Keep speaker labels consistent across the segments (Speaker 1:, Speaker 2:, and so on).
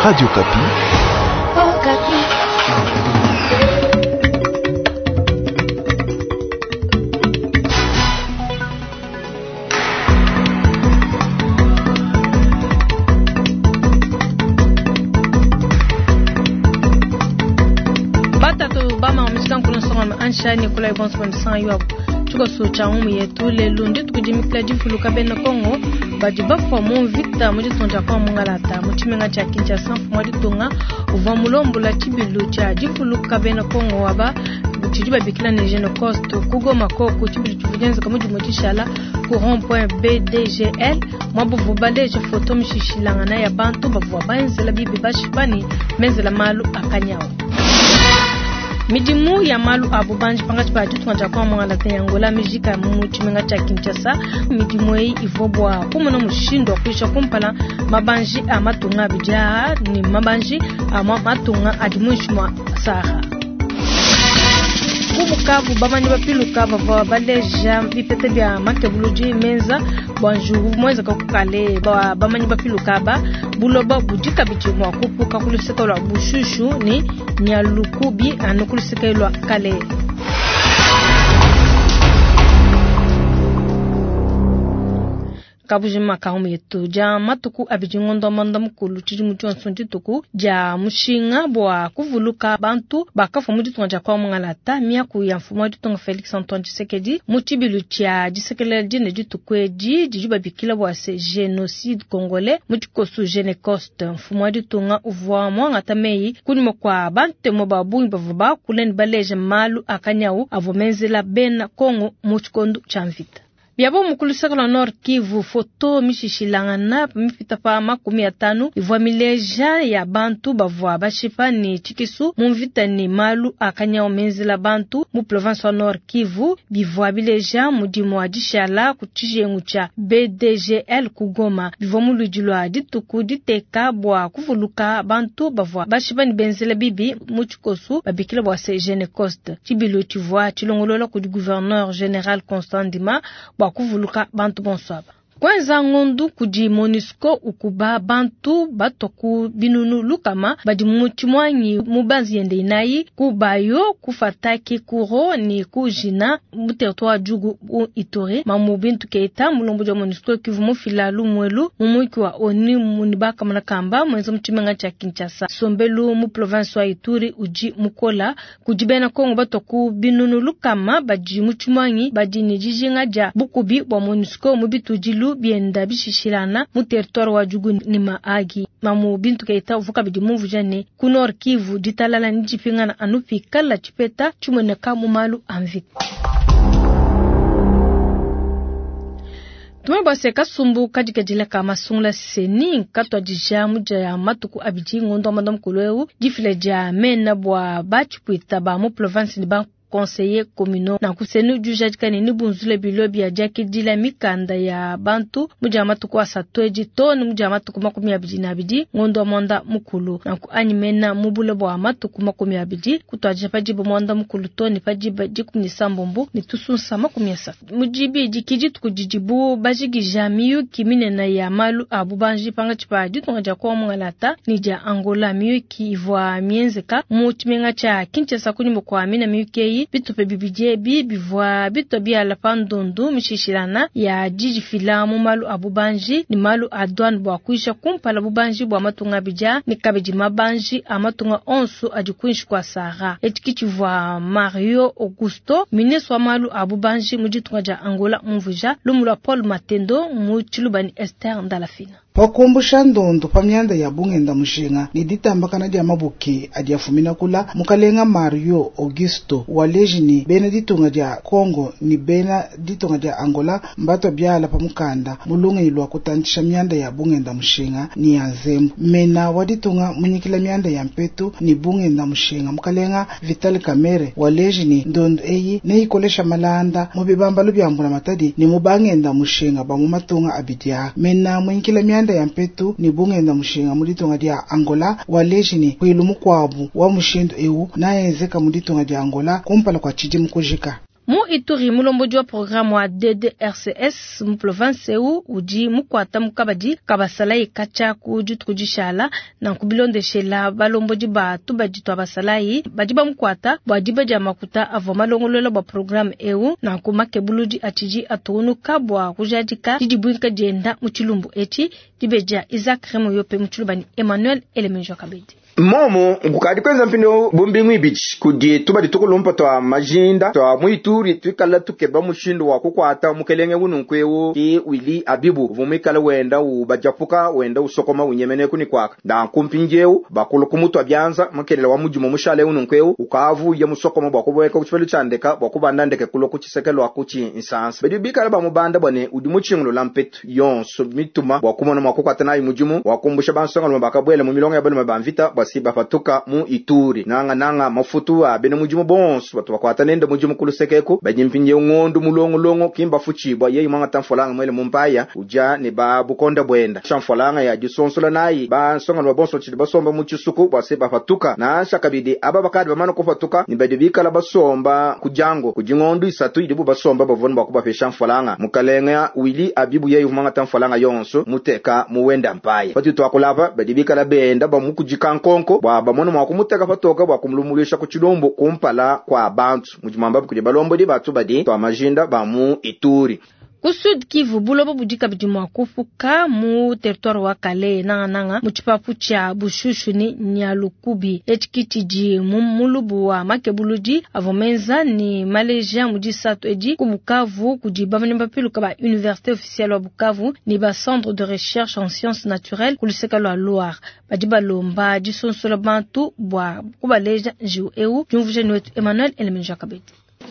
Speaker 1: Radio Okapi.
Speaker 2: Batatu bama mishika nsonga ansha ni kula ibonso kwa yo tshikoso tshia ngumu yetu lelu ndi tukudimikila divuluka bena Kongo badi bafua mu mvita mu ditunga dia Kongo mungalata mu tshimenga tshia Kinshasa. Mfumu wa ditunga uvua mulombola tshibilu tshia divuluka bena Kongo aba tshidi babikila ne Genocost ku Goma koku. Tshibilu tshivua tshienzeka mu dimue dishala ku rond point BDGL mwabuvu baleje foto mishishilangana ya bantu bavua benzela bibi bashipa ne benzela malu akanyawu. Midimu ya malu a bubanji pangatshi pa ditunga dia Kongo mungalata ya Angola mijika mu tshimenga tshia Kinshasa. Midimu eyi ivua bua kumona mushindu wa kuyisha kumpala mabanji a matunga abidi aa ne mabanji a matunga adi muinshi mua Sahara. Ku Bukavu bamanyi bapiluka bavua baleja bipeta bia makebuludi menza bua njugu muenzeka ku kale. Ba bamanyi bapiluka aba buloba budi kabidi mua kupuka ku luseke lua Bushushu ne Nyalukubi anu ku luseke lua kale. Kabujima kahumu yetu dia matuku abidi ngondo mwanda mukulu tshidimu tshionso dituku dia mushinga bua kuvuluka bantu bakafua mu ditunga dia Kongo mungalata. Miaku ya mfumu wa ditunga Felix Antoine Tshisekedi mu tshibilu tshia disekelela dine dituku edi didi babikila bua se génocide congolais mu tshikoso Genocost. Mfumu wa ditunga uvua muangata meyi kunyima kua bantemu ba bungi bavua bakula ne baleja malu akanyawu avua menzela bena Kongo mu tshikondo tshia mvita. Biabo mukulu luseke lua Nord Kivu foto mishishilangana mipita pa 50 ivua mileja ya bantu bavua bashipa ne tshikisu mu mvita ne malu akanyawu menzela bantu mu province wa Nord Kivu. Bivua bileja mudimu wa dishala ku tshijengu tshia BDGL ku Goma. Bivua mu ludi lua dituku diteka bua kuvuluka bantu bavua bashipa ne benzela bibi mu tshikoso babikila bua se Genocost. Tshibilu tshivua tshilongolola kudi gouverneur général Constant Ndima bua kuvuluka bantu bonso aba. Kwenza ngondu kudi MONUSCO ukuba bantu bato ku binunu lukama badi mu tshimwanyi mu banzi yende inayi ku Bayo, ku Fataki, Kuro ni ku Jina mu territoire Djugu u Ituri. Mamu Bintu Keita mulombo wa MONUSCO kivu mufila lumwelu mu mwiki wa ONU munibaka kamba mwenza mu tshimenga tshia Kinshasa. Sombelu mu province wa Ituri uji mukola kudi bena Kongo bato ku binunu lukama badi mu tshimwanyi badi ne dijinga dia bukubi bua MONUSCO mu bitudilu bienda bishishilana mu territoire wa Djugu ni Mahagi. Mamu Bintu Keita uvuka bidi mumvuja ne ku Nord Kivu ditalala ni dipingana anu pikala tshipeta tshimoneka mu malu a mvita. Tumwe bwase kasumbu kadikadila ka masungula seni katwadija muja ya matuku abidi ngondo wa mukulu eu difila dia mena bua batshipwita ba mu province ni ba conseiller communaux na kusenu jujadika ne nibunzule bilo bia diakidila mikanda ya bantu muja matuku asatu edi to ni muja matuku 22 ngondo wa mwanda mukulu na ku animena mubule bua matuku 20 kutwadija padiba mwanda mukulu to ni padiba 17 ni tusunsa 30 mujibi dikidi tukudidibu bajigija miyuki minene ya malu a bubanji panga tshipa ditunga dia Kongo mungalata ni dia Angola. Miyuki ivua mienzeka mu tshimenga tshia Kinshasa kunyuma kwa mina miyuki bitupe bibidi ebi bivua bitwa biala pa ndundu mishishilana ya dijifila mu malu a bubanji ni malu a douane bua kuisha kumpala bubanji bua matunga abidi ni kabidi mabanji a matunga onso adi kuinshi kua Sahara. Etshi tshivua Mario Augusto ministre wa malu a bubanji mu ditunga dia Angola mumvuja lumu lua Paul Matendo mu tshilubani Esther Ndalafina.
Speaker 3: Pakumbusha ndundu pa myanda ya bungenda mushinga ni ditambakana dia mabuki adi afumina kula mukalenga Mario Augusto waleji ni bena ditunga dia Kongo ni bena ditunga dia Angola mbato biala pa mukanda mulungi lwa kutantisha myanda ya bungenda mushinga ni ya nzembu. Mena wa ditunga munyikila myanda ya mpetu ni bungenda mushinga mukalenga Vital Kamerhe waleji ni ndundu eyi neikolesha malanda mu bibambalu bya mbula matadi ni mubangenda mushinga ba mu matunga abidia. Mena munyikila myanda ya mpetu ni bungenda mushinga mu ditunga dia Angola waleji ni kwilu mukwabu wa mushindu ewu naenzeka mu ditunga dia Angola kumpala kwa tshidimu kujika.
Speaker 2: Mu Ituri, mulombodi wa programme wa DDRCS mu province eu udi mukuata mu kabadi ka basalayi katshia ku dituku dishala. Nanku bilondeshela balombodi ba tubadi tua basalayi badi bamukuata bua diba dia makuta avua malongolola bua programme eu. Nanku makebuludi atshidi atungunuka bua kujadika didibuinka dienda mu tshilumbu etshi. Dibeji Isaac Remoyope mu tshiluba ne Emmanuel Elemenjo Kabedi.
Speaker 1: Momo kukadi kwenza mpindieu bu mbingu ibidi kudi tubadi tukulumpa tua majinda tua mu Ituri tuikala tukeba mushindu wa kukuata mukelenge ununku eu ki Willy Abibu uvua muikale wenda ubajapuka wenda usokoma unyemene ku ni kuaka. Nanku mpindieu bakulu kumutua bianza mukelela wa mudimu mushale ununku eu ukavuye musokoma bua kubueka ku tshipelu tshia ndeka bua kubanda ndeke kulua ku tshiseke lua ku tshinsansa. Badi bikala bamubanda bua ne udi mutshingulula mpetu yonso mituma bua kumona mua kukuata nayi mudimu wa kumbusha bansongalume bakabuela mu milongo ya balume ba mvita bua si bapatuka mu Ituri. Nanga nanga mafutu a bena mudimu bonso batu bakuata nende mudimu ku lusekeku badi mpindieu ngondu mulongolongo kimba futshibua yeye mwangata mfolanga mwele mumpaya uja ne ba bukonda bwenda shamfolanga ya disonsola nayi bansongalume bonso batshidi basomba mu tshisuku bua se bapatuka nansha kabidi aba bakadi bamana kupatuka ni badi bikala basomba ku dyango kudi ngondu isatu idibu basomba bavua bua kubapesha mfolanga. Mukalenga Willy Abibu yeye mwangata mfolanga yonso muteka muwenda mpaya patu twakulapa badi bikala benda bamukujika nkonko bua bamone mua kumuteka patoka bua kumulumulisha ku tshilumbu kumpala kwa bantu mujimamba kudi balombodi batu badi twa majinda ba mu Ituri.
Speaker 2: Ku Sud Kivu, buloba budi kabidi mua kupuka mu territoire wa Kalehe nangananga mu tshipapu tshia Bushushu ni Nyalukubi. Etshi tshidi mu mulubu wa makebuludi avua menza ni maleja mu disatu edi ku Bukavu kudi bamanyi bapiluka ba Université officielle wa Bukavu ni ba centre de recherche en sciences naturelles ku luseke lua Loire. Badi balomba disonsola bantu bua kubaleja njiwu eu. Diumvuija ni wetu Emmanuel Elemenja Kabedi.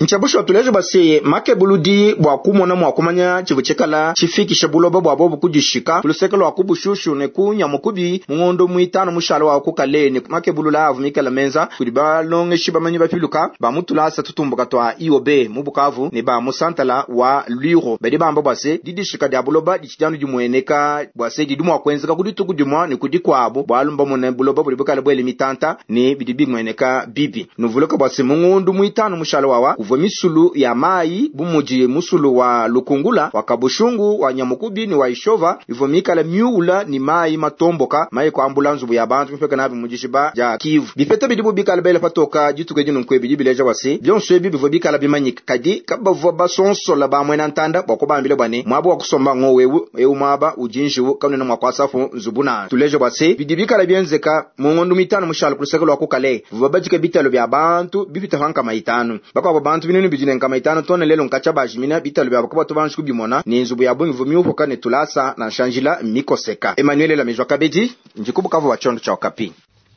Speaker 1: Nchabusho tuleje basi makebuludi bua kumona mua kumanya tshivu tshikala tshifikisha buloba bua bobu kudishika kuluseke lua kubushushu ne kunyamukubi mungondo muitano mushalo wa kukale ne makebulula avu mikala menza kudi balongeshi bamanyi bapiluka ba mutulasa tutumbuka tua IOB mu Bukavu ne ba musantala wa Lwiro. Badi bamba bua se didishika dia buloba ditshijanu dimueneka bua se didi mua kuenzeka kudituku dimua ne kudi kuabu bualu mbamone buloba budi bukala bwele mitanta ne bidi bimueneka bibi. Nuvuluka bua se mungondo muitano mushalo wawa kuvua misulu ya mai bumudi musulu wa Lukungula wa Kabushungu wa Nyamukubi ni wa Ishova ivua mikala miula ni mai matomboka mai kwa ambulanzu ya bantu mfeka nabi mujishiba ja Kivu. Bipeta bidibu bikala bele patoka jituke jinu nkwe bidi bileja wasi byonso ebi bivua bikala bimanyika kadi kabavua basonsola ba mwena ntanda bwa kubambile bwane mwabo wa kusomba ngo wewu eu mwaba ujinjiwu kanena mwa kwasafu nzubuna tuleje bwase bidi bikala byenzeka mu ngondo mitano mushalo kuluseke lwa kukale bivua bajike bitalo bya bantu bipita hanka maitano bakwa bantu binunu bijine nkama itano tone lelo nkacha bajimina bitalo bya bakaba tubanji kubimona ni nzubu ya bungi vumiupoka ne tulasa na shanjila mikoseka. Emmanuel la mejwa kabedi njikubukavu wa chondo cha Okapi.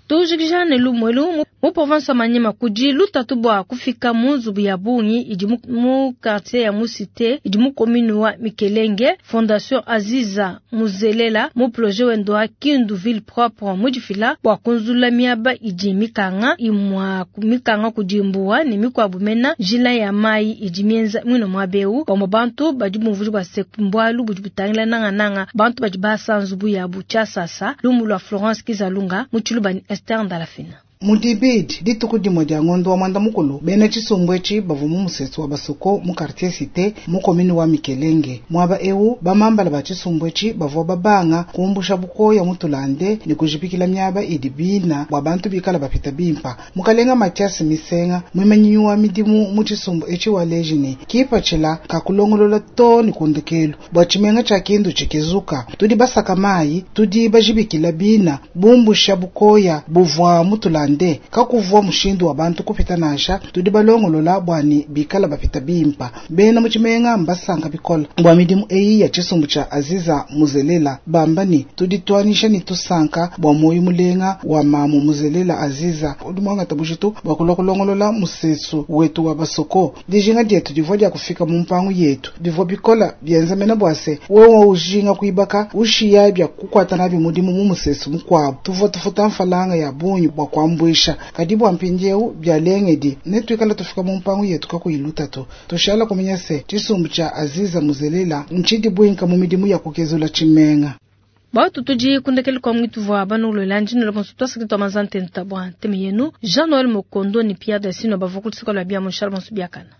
Speaker 2: Tujikijane lumwelu mu province ya Maniema kudi lutatu bua kufika mu nzubu ya bungi idi mu quartier ya Musite idi mu commune wa Mikelenge. Fondation Aziza Muzelela mu projet wendo wa Kindu ville propre mudifila bua kunzula miaba idi mikanga imwa mikanga kudimbua ne mikwabu mena njila ya mai idi mienza mwino mwabeu bamwe bantu badi bumvuje bua sekumbwalu budi butangila nanga nanga bantu badi basa nzubu ya bucha sasa lumu lwa Florence Kizalunga mu Tshiluba ni Esther Ndalafina.
Speaker 3: Mudibidi dituku dimwe dia ngondo wa mwanda mukulu bena tshisumbu etshi bavua mu musesu wa basoko mu quartier cité mu commune wa Mikelenge. Mwaba eu bamambala ba tshisumbu etshi bavua babanga kumbusha bukoya mutulande ne kujipikila miaba idi bina bua bantu bikala bapita bimpa. Mukalenga Mathias Misenga mwimanyi wa midimu mu tshisumbu etshi wa lejini kipatshila kakulongolola to ne kundekelu bua tshimenga tshia Kindu tshikizuka tudi basaka mai tudi bajibikila bina bumbusha bukoya buvua mutulande kakuvua mushindu wa bantu kupita nansha tudi balongolola bwani bikala bapita bimpa. Bena mutshimenga mbasanka bikola bua midimu eyi ya tshisumbu tshia Aziza Muzelela bambani tudi tuanisha ni tusanka bua moyo mulenga wa mamu Muzelela Aziza udi mwangata bujitu bua kulongolola musesu wetu wa basoko dijinga dietu divua dia kufika mu mpangu yetu divua bikola bienza mena bwase wewe ujinga kuibaka ushiya bya kukwata nabi mudimu mu musesu mukwabu tuvua tufuta mfalanga ya bunyi bua kuambuisha kadi bua mpindieu bya lengedi ne tuikala tufika mu mpangu yetu kakuyiluta to tushala kumenya se tshisumbu tshia Aziza Muzelela ntshidi buinka mu midimu ya kukezula tshimenga.
Speaker 2: Batu tudi kundekele kwa mwitu vwa banulola njino la bonso twasaki twa mazante ntabwa nteme yenu Jean Noël Mokondo ni Pierre Dasino bavukulu sikola bia Monchal bonso biakana.